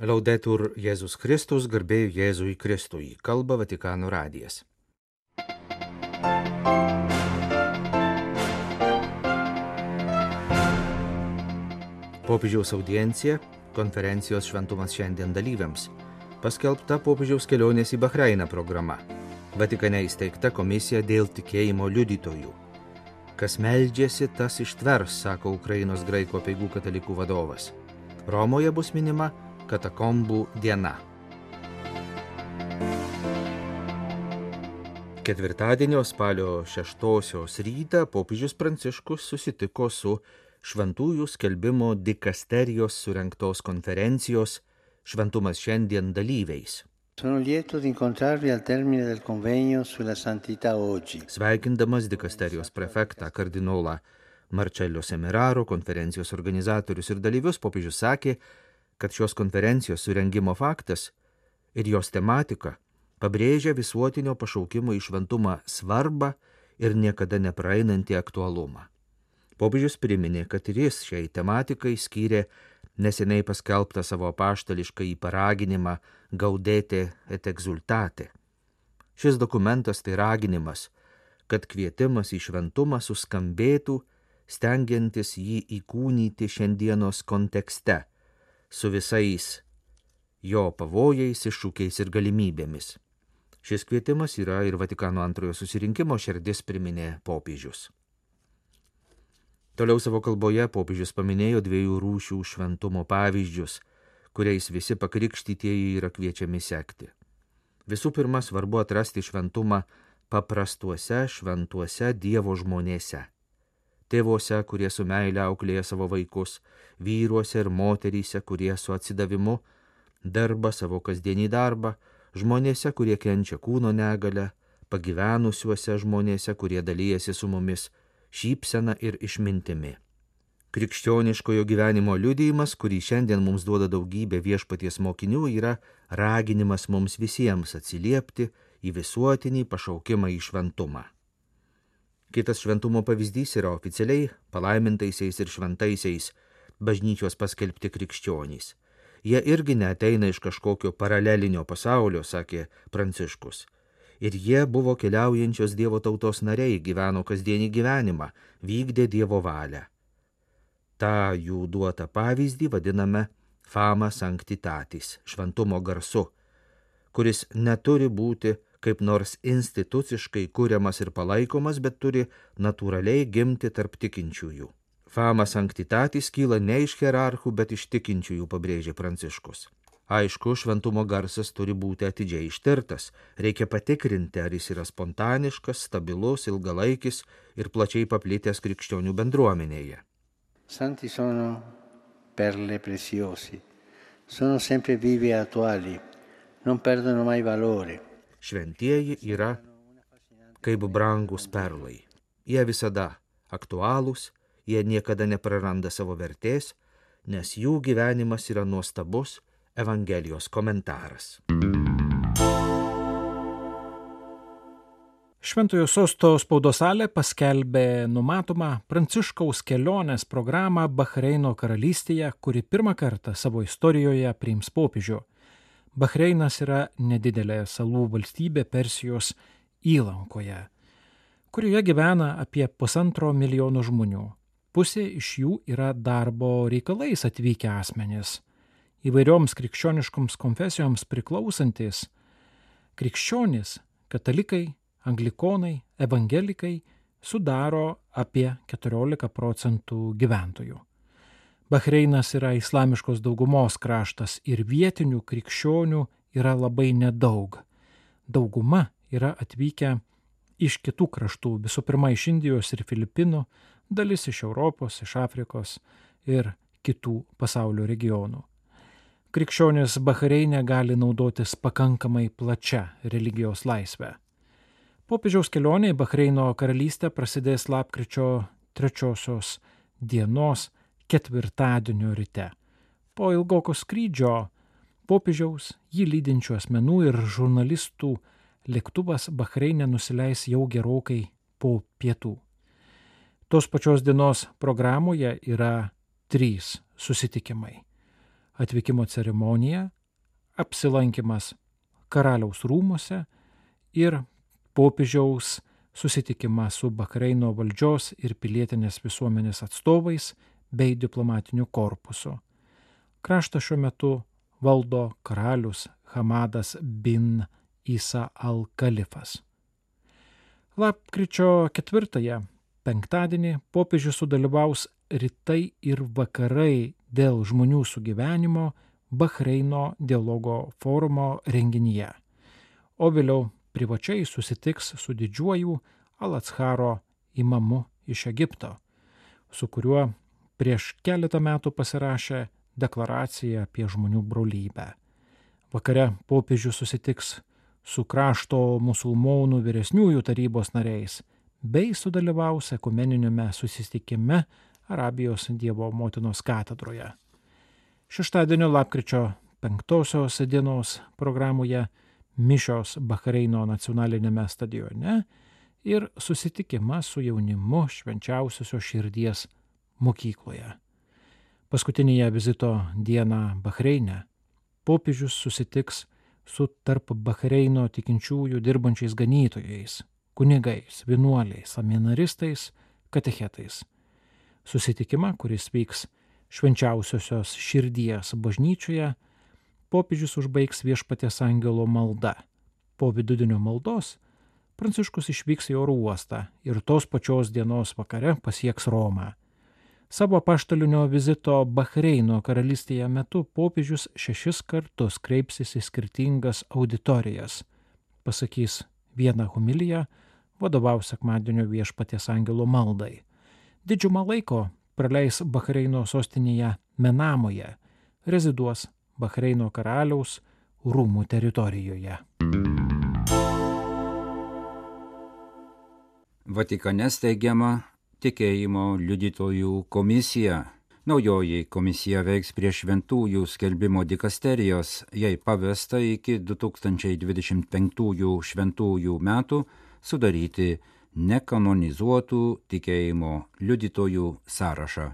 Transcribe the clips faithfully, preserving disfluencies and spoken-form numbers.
Laudetur Jėzus Kristus, garbė Jėzui Kristui, kalba Vatikano radijas. Popiežiaus audiencija, konferencijos Šventumas šiandien dalyviams, paskelbta popiežiaus kelionės į Bahreiną programa, Vatikane įsteigta komisija dėl tikėjimo liudytojų. Kas meldžiasi, tas ištvers, sako Ukrainos graikų apeigų katalikų vadovas. Romoje bus minima katakombų diena. Ketvirtadienio spalio šeštosios rytą popiežius Pranciškus susitiko su šventųjų skelbimo dikasterijos surengtos konferencijos Šventumas šiandien dalyviais. Sono lieto di incontrarvi al termine del convegno sulla santità oggi. Sveikindamas dikasterijos prefektą kardinolą Marcello Semeraro, konferencijos organizatorius ir dalyvius, popiežius sakė, kad šios konferencijos surengimo faktas ir jos tematika pabrėžia visuotinio pašaukimo į šventumą svarbą ir niekada nepraeinantį aktualumą. Popiežius priminė, kad ir jis šiai tematikai skyrė neseniai paskelbtą savo apaštališką į paraginimą Gaudete et exultate. Šis dokumentas tai raginimas, kad kvietimas į šventumą suskambėtų, stengiantis jį įkūnyti šiandienos kontekste, su visais jo pavojais, iššūkiais ir galimybėmis. Šis kvietimas yra ir Vatikano antrojo susirinkimo širdis, priminė popiežius. Toliau savo kalboje popiežius paminėjo dviejų rūšių šventumo pavyzdžius, kuriais visi pakrikštytieji yra kviečiami sekti. Visų pirma, svarbu atrasti šventumą paprastuose šventuose Dievo žmonėse. Tėvuose, kurie su meile auklėja savo vaikus, vyruose ir moteryse, kurie su atsidavimu dirba savo kasdienį darbą, žmonėse, kurie kenčia kūno negalę, pagyvenusiuose žmonėse, kurie dalyjasi su mumis šypsena ir išmintimi. Krikščioniškojo gyvenimo liudijimas, kurį šiandien mums duoda daugybė viešpaties mokinių, yra raginimas mums visiems atsiliepti į visuotinį pašaukimą į šventumą. Kitas šventumo pavyzdys yra oficialiai palaimintaisiais ir šventaisiais bažnyčios paskelbti krikščionys. Jie irgi neateina iš kažkokio paralelinio pasaulio, sakė Pranciškus. Ir jie buvo keliaujančios Dievo tautos nariai, gyveno kasdienį gyvenimą, vykdė Dievo valią. Ta jų duotą pavyzdį vadiname fama sanctitatis, šventumo garsu, kuris neturi būti kaip nors instituciškai kuriamas ir palaikomas, bet turi natūraliai gimti tarp tikinčiųjų. Fama sanctitatis kyla ne iš hierarchų, bet iš tikinčiųjų, pabrėžė Pranciškus. Aišku, šventumo garsas turi būti atidžiai ištirtas, reikia patikrinti, ar jis yra spontaniškas, stabilus, ilgalaikis ir plačiai paplitęs krikščionių bendruomenėje. Santi sono perle preziosi, sono sempre vivi e attuali, non perdono mai valore. Šventieji yra kaip brangus perlai. Jie visada aktualūs, jie niekada nepraranda savo vertės, nes jų gyvenimas yra nuostabus Evangelijos komentaras. Šventojo sosto spaudos salė paskelbė numatomą Pranciškaus kelionės programą Bahreino karalystėje, kuri pirmą kartą savo istorijoje priims popiežių. Bahreinas yra nedidelė salų valstybė Persijos įlankoje, kurioje gyvena apie pusantro milijono žmonių. Pusė iš jų yra darbo reikalais atvykę asmenys. Įvairioms krikščioniškoms konfesijoms priklausantis krikščionys, katalikai, anglikonai, evangelikai sudaro apie keturiolika procentų gyventojų. Bahreinas yra islamiškos daugumos kraštas ir vietinių krikščionių yra labai nedaug. Dauguma yra atvykę iš kitų kraštų, visų pirma iš Indijos ir Filipinų, dalis iš Europos, iš Afrikos ir kitų pasaulio regionų. Krikščionys Bahreine gali naudotis pakankamai plačia religijos laisvę. Popiežiaus kelionė į Bahreino karalystę prasidės lapkričio trečiosios dienos ketvirtadienio ryte. Po ilgoko skrydžio popiežiaus, jį lydinčių asmenų ir žurnalistų lėktuvas Bahreine nusileis jau gerokai po pietų. Tos pačios dienos programoje yra trys susitikimai. atvykimo ceremonija, apsilankimas karaliaus rūmuose ir popiežiaus susitikimas su Bahreino valdžios ir pilietinės visuomenės atstovais bei diplomatiniu korpusu. Kraštą šiuo metu valdo karalius Hamadas bin Isa al-Kalifas. Lapkričio ketvirtąją, penktadienį, popiežius sudalyvaus rytai ir vakarai dėl žmonių sugyvenimo Bahreino dialogo forumo renginyje, o vėliau privačiai susitiks su didžiuoju Al-Atsharo imamu iš Egipto, su kuriuo prieš keletą metų pasirašė deklaraciją apie žmonių brolybę. Vakare popiežius susitiks su krašto musulmonų vyresniųjų tarybos nariais bei sudalyvaus ekumeniniame susitikime Arabijos Dievo motinos katedroje. Šeštadienio lapkričio penktosios dienos programoje mišios Bahreino nacionalinėme stadione ir susitikimas su jaunimu Švenčiausiosios širdies mokykloje. Paskutinėje vizito dieną Bahreine popiežius susitiks su tarp Bahreino tikinčiųjų dirbančiais ganytojais, kunigais, vienuoliais, seminaristais, katechetais. Susitikimą, kuris vyks Švenčiausiosios širdies bažnyčioje, popiežius užbaigs Viešpaties angelo malda. Po vidudienio maldos Pranciškus išvyks į oro uostą ir tos pačios dienos vakare pasieks Romą. Savo apaštalinio vizito Bahreino karalystėje metu popiežius šešis kartus kreipsis į skirtingas auditorijas, pasakys vieną homiliją, vadovaus sekmadienio Viešpaties angelo maldai. Didžiumą laiko praleis Bahreino sostinėje Menamoje, reziduos Bahreino karaliaus rūmų teritorijoje. Vatikane steigiama tikėjimo liudytojų komisija. Naujoji komisija veiks prie šventųjų skelbimo dikasterijos, jai pavesta iki du tūkstančiai dvidešimt penktųjų šventųjų metų sudaryti nekanonizuotų tikėjimo liudytojų sąrašą.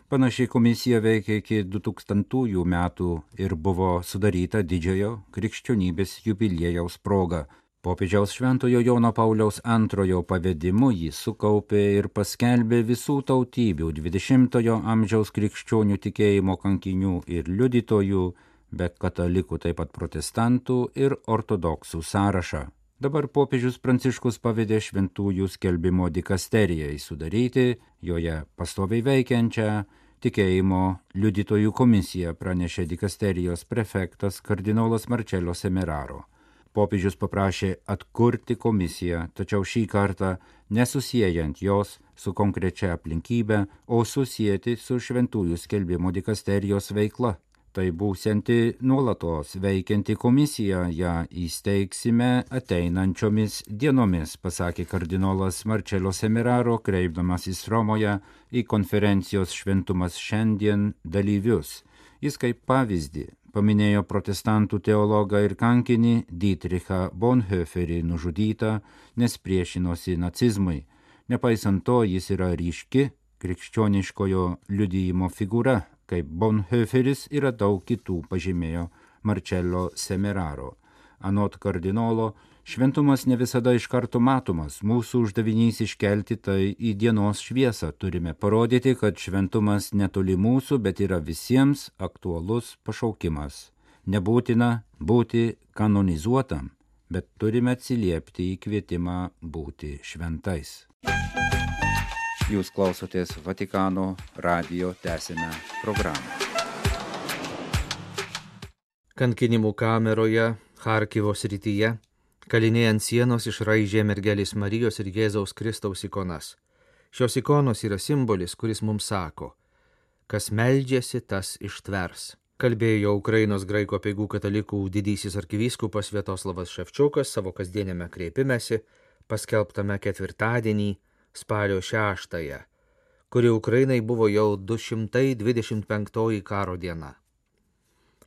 Panašiai komisija veikia iki du tūkstantųjų metų ir buvo sudaryta didžiojo krikščionybės jubiliejaus proga. Popiežiaus Šventojo Jono Pauliaus antrojo pavedimu jį sukaupė ir paskelbė visų tautybių dvidešimtojo amžiaus krikščionių tikėjimo kankinių ir liudytojų, be katalikų taip pat protestantų ir ortodoksų sąrašą. Dabar popiežius Pranciškus pavedė šventųjų skelbimo dikasterijai sudaryti, joje pastoviai veikiančią tikėjimo liudytojų komisiją, pranešė dikasterijos prefektas kardinolas Marcello Semeraro. Popiežius paprašė atkurti komisiją, tačiau šį kartą nesusiejant jos su konkrečia aplinkybe, o susijęti su šventųjų skelbimo dikasterijos veikla. Tai būsianti nuolatos veikianti komisija, ją įsteigsime ateinančiomis dienomis, pasakė kardinolas Marcello Semeraro, kreipdamasis Romoje į konferencijos Šventumas šiandien dalyvius. Jis kaip pavyzdį paminėjo protestantų teologą ir kankinį Dietrichą Bonhoefferį nužudytą, nes priešinosi nacizmui. Nepaisant to, jis yra ryški krikščioniškojo liudijimo figūra, kaip Bonhoefferis yra daug kitų, pažymėjo Marcello Semeraro. Anot kardinolo, šventumas ne visada iš karto matomas, mūsų uždavinys iškelti tai į dienos šviesą. Turime parodyti, kad šventumas netoli mūsų, bet yra visiems aktualus pašaukimas. Nebūtina būti kanonizuotam, bet turime atsiliepti į kvietimą būti šventais. Jūs klausotės Vatikano radijo tęsinę programą. Kankinimų kameroje Charkivo srityje kaliniai ant sienos išraižė mergelės Marijos ir Jėzaus Kristaus ikonas. Šios ikonos yra simbolis, kuris mums sako, kas meldžiasi, tas ištvers. Kalbėjo Ukrainos graikų apeigų katalikų didysis arkivyskupas Sviatoslavas Ševčiukas savo kasdieniame kreipimesi, paskelbtame ketvirtadienį spalio šeštąją, kuri Ukrainai buvo jau du šimtai dvidešimt penktoji karo diena.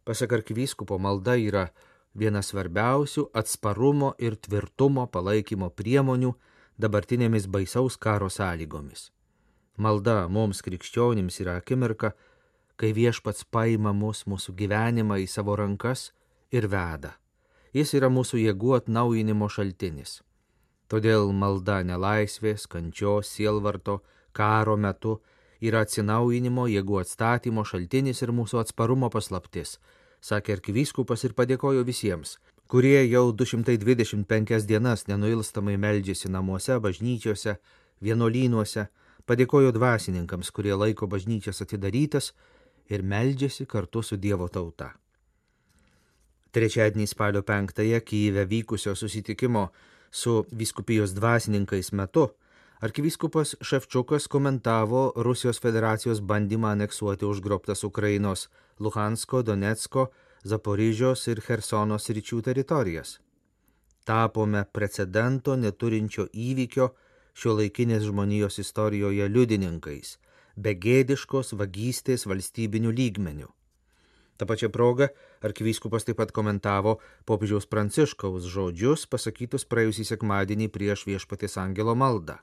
Pasak arkivyskupo, malda yra viena svarbiausių atsparumo ir tvirtumo palaikymo priemonių dabartinėmis baisaus karo sąlygomis. Malda mums krikščionims yra akimirka, kai Viešpats paima mus, mūsų gyvenimą į savo rankas ir veda. Jis yra mūsų jėgų atnaujinimo šaltinis. Todėl malda nelaisvės, kančios, sielvarto, karo metu yra atsinaujinimo, jėgų atstatymo šaltinis ir mūsų atsparumo paslaptis, sakė arkivyskupas ir padėkojo visiems, kurie jau du šimtai dvidešimt penkias dienas nenuilstamai meldžiasi namuose, bažnyčiose, vienuolynuose, padėkojo dvasininkams, kurie laiko bažnyčias atidarytas ir meldžiasi kartu su Dievo tauta. Trečiadienį spalio penktąją Kyjive vykusio susitikimo su vyskupijos dvasininkais metu arkivyskupas Ševčiukas komentavo Rusijos federacijos bandymą aneksuoti užgrobtas Ukrainos Luhansko, Donecko, Zaporižios ir Chersono sričių teritorijas. Tapome precedento neturinčio įvykio šiuolaikinės žmonijos istorijoje liudininkais, begėdiškos vagystės valstybinių lygmenių. Ta pačia proga arkivyskupas taip pat komentavo popiežiaus Pranciškaus žodžius pasakytus praėjusį sekmadienį prieš Viešpaties angelo maldą.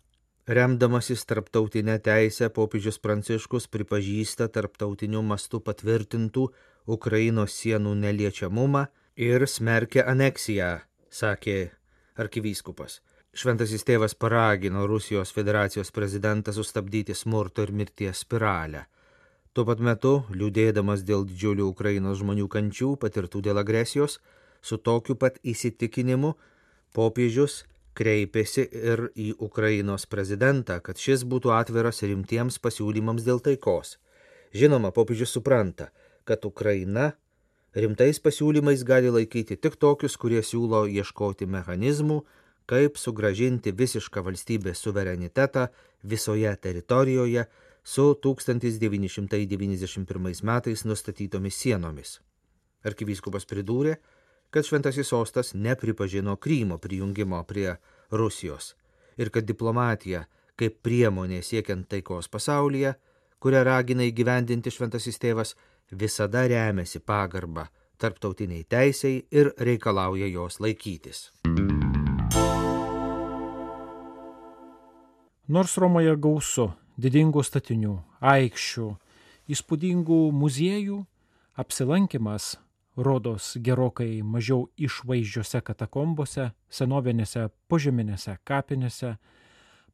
Remdamasis tarptautinę teisę, popiežius Pranciškus pripažįsta tarptautiniu mastu patvirtintų Ukrainos sienų neliečiamumą ir smerkia aneksiją, sakė arkivyskupas. Šventasis tėvas paragino Rusijos federacijos prezidentą sustabdyti smurto ir mirties spiralę. Tuo pat metu, liūdėdamas dėl didžiulių Ukrainos žmonių kančių patirtų dėl agresijos, su tokiu pat įsitikinimu popiežius kreipėsi ir į Ukrainos prezidentą, kad šis būtų atviras rimtiems pasiūlymams dėl taikos. Žinoma, popiežius supranta, kad Ukraina rimtais pasiūlymais gali laikyti tik tokius, kurie siūlo ieškoti mechanizmų, kaip sugrąžinti visišką valstybės suverenitetą visoje teritorijoje su tūkstantis devyni šimtai devyniasdešimt pirmais metais nustatytomis sienomis. Arkivyskupas pridūrė, kad Šventasis sostas nepripažino Krymo prijungimo prie Rusijos ir kad diplomatija kaip priemonė siekiant taikos pasaulyje, kurią ragina įgyvendinti Šventasis tėvas, visada remiasi pagarba tarptautiniai teisei ir reikalauja jos laikytis. Nors Romoje gausu didingų statinių, aikščių, įspūdingų muziejų, apsilankimas rodos gerokai mažiau išvaizdžiose katakombose, senovinėse požeminėse kapinėse,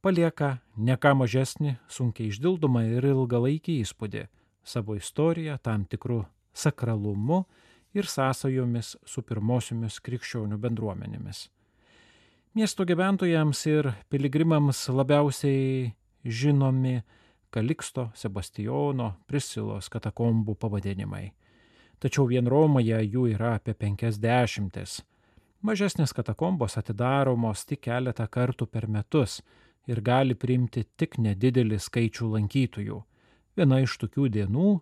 palieka ne ką mažesnį, sunkiai išdildomą ir ilgalaikį įspūdį savo istoriją, tam tikrų sakralumu ir sąsajomis su pirmosiomis krikščionių bendruomenėmis. Miesto gyventojams ir piligrimams labiausiai žinomi Kaliksto, Sebastijono, Prisilos katakombų pavadinimai. Tačiau vien Romoje jų yra apie penkiasdešimtis. Mažesnės katakombos atidaromos tik keletą kartų per metus ir gali priimti tik nedidelį skaičių lankytojų. Viena iš tokių dienų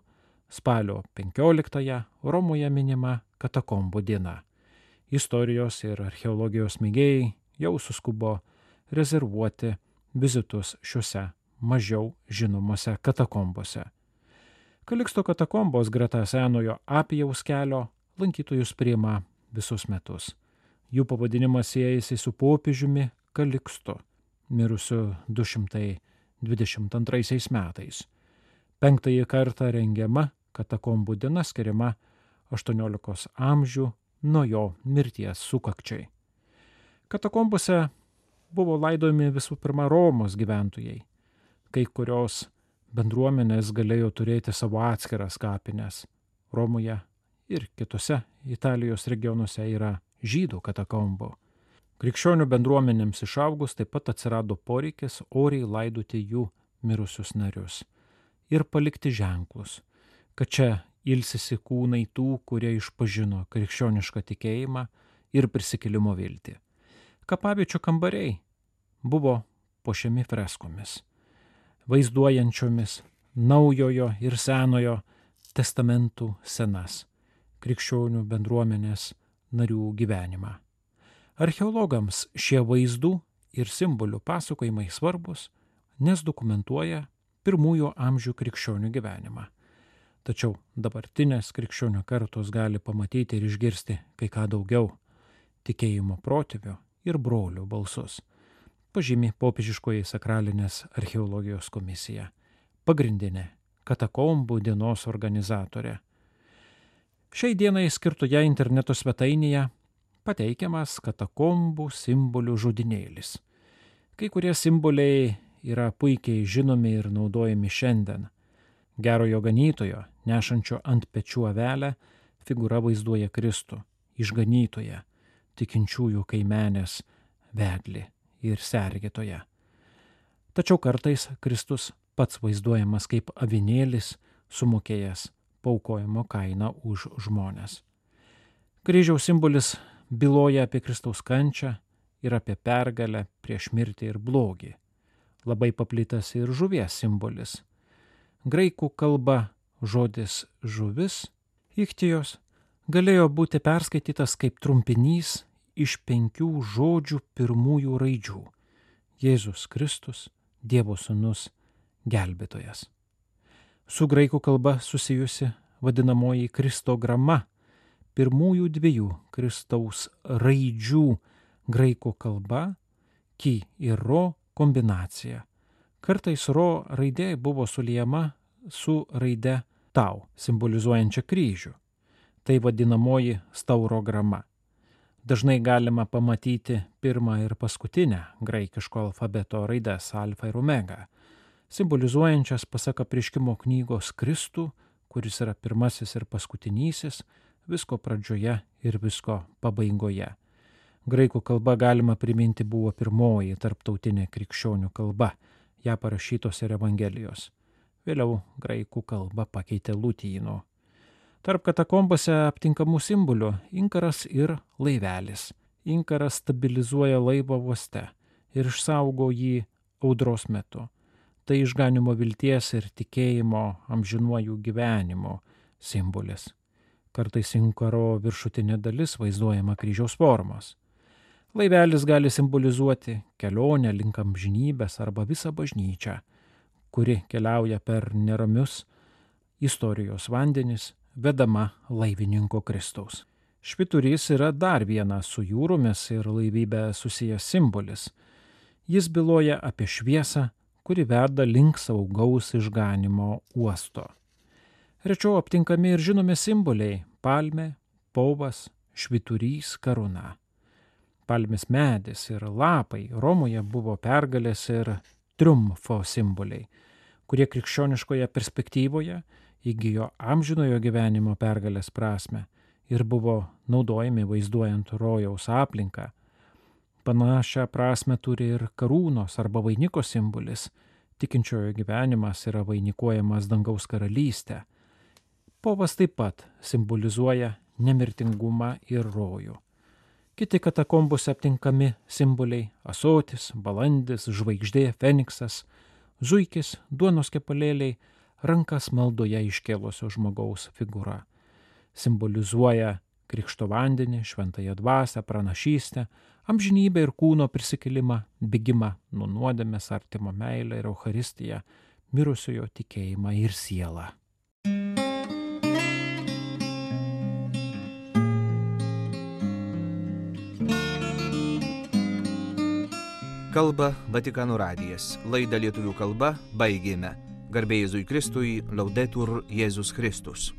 spalio penkioliktąją Romoje minima katakombų diena. Istorijos ir archeologijos mėgėjai jau suskubo rezervuoti vizitus šiuose mažiau žinomose katakombose. Kaliksto katakombos greta senojo Apijaus kelio lankytojus priima visus metus. Jų pavadinimas siejasi su popiežiumi Kalikstu, mirusiu du šimtai dvidešimt antraisiais metais. Penktąjį kartą rengiama katakombų diena skiriama aštuoniolikos amžių nuo jo mirties sukakčiai. Katakombose buvo laidojami visų pirma Romos gyventojai. Kai kurios bendruomenės galėjo turėti savo atskiras kapines. Romoje ir kitose Italijos regionuose yra žydų katakombų. Krikščionių bendruomenėms išaugus taip pat atsirado poreikis oriai laidoti jų mirusius narius ir palikti ženklus, kad čia ilsisi kūnai tų, kurie išpažino krikščionišką tikėjimą ir prisikėlimo viltį. Kapaviečių kambariai buvo puošiami freskomis, vaizduojančiomis naujojo ir senojo testamentų senas krikščionių bendruomenės narių gyvenimą. Archeologams šie vaizdų ir simbolių pasakojimai svarbus, nes dokumentuoja pirmųjų amžių krikščionių gyvenimą. Tačiau dabartinės krikščionių kartos gali pamatyti ir išgirsti kai ką daugiau – tikėjimo protėvių ir brolių balsus, pažymi popiežiškoji sakralinės archeologijos komisija, pagrindinė katakombų dienos organizatorė. Šiai dienai skirtoje interneto svetainėje pateikiamas katakombų simbolių žodynėlis. Kai kurie simboliai yra puikiai žinomi ir naudojami šiandien. Gerojo ganytojo, nešančio ant pečių avelę, figūra vaizduoja Kristų, išganytoją, tikinčiųjų kaimenės vedlį ir sergėtoją. Tačiau kartais Kristus pats vaizduojamas kaip avinėlis, sumokėjęs paaukojimo kainą už žmones. Kryžiaus simbolis byloja apie Kristaus kančią ir apie pergalę prieš mirtį ir blogį. Labai paplitęs ir žuvies simbolis. Graikų kalba žodis žuvis, ichtijos, galėjo būti perskaitytas kaip trumpinys iš penkių žodžių pirmųjų raidžių – Jėzus Kristus, Dievo sūnus, gelbėtojas. Su graikų kalba susijusi vadinamoji kristograma, pirmųjų dviejų Kristaus raidžių graikų kalba, ki ir ro kombinacija. Kartais ro raidė buvo suliejama su raide tau, simbolizuojančia kryžių. Tai vadinamoji staurograma. Dažnai galima pamatyti pirmą ir paskutinę graikiško alfabeto raides alfa ir omega, simbolizuojančias pasak Apreiškimo knygos Kristų, kuris yra pirmasis ir paskutinysis, visko pradžioje ir visko pabaigoje. Graikų kalba galima priminti buvo pirmoji tarptautinė krikščionių kalba, ją parašytos ir Evangelijos. Vėliau graikų kalbą pakeitė lotynų. Tarp katakombose aptinkamų simbolių inkaras ir laivelis. Inkaras stabilizuoja laivą uoste ir išsaugo jį audros metu. Tai išganimo vilties ir tikėjimo amžinuoju gyvenimu simbolis. Kartais inkaro viršutinė dalis vaizduojama kryžiaus formos. Laivelis gali simbolizuoti kelionę link amžinybės arba visą bažnyčią, kuri keliauja per neramius istorijos vandenis, vedama laivininko Kristaus. Švyturys yra dar vienas su jūromis ir laivybė susijęs simbolis. Jis byloja apie šviesą, kuri veda link saugaus išganimo uosto. Rečiau aptinkami ir žinomi simboliai – palmė, povas, švyturys, karūna. Palmės medis ir lapai Romoje buvo pergalės ir triumfo simboliai, kurie krikščioniškoje perspektyvoje įgijo amžinojo gyvenimo pergalės prasme ir buvo naudojami vaizduojant rojaus aplinką. Panašią prasme turi ir karūnos arba vainiko simbolis. Tikinčiojo gyvenimas yra vainikuojamas dangaus karalystę. Povas taip pat simbolizuoja nemirtingumą ir rojų. Kiti katakombose aptinkami simboliai – ąsotis, balandis, žvaigždė, feniksas, zuikis, duonos kepalėliai, rankas maldoje iškėlusio žmogaus figūra. Simbolizuoja krikšto vandenį, šventąją dvasią, pranašystę, amžinybę ir kūno prisikelimą, bėgimą nuo nuodėmės, artimo meilę ir Eucharistiją, mirusiojo tikėjimą ir sielą. Kalba Vatikano radijas. Laidą lietuvių kalba baigėme. Garbė Jėzui Kristui, Laudetur Jėzus Kristus.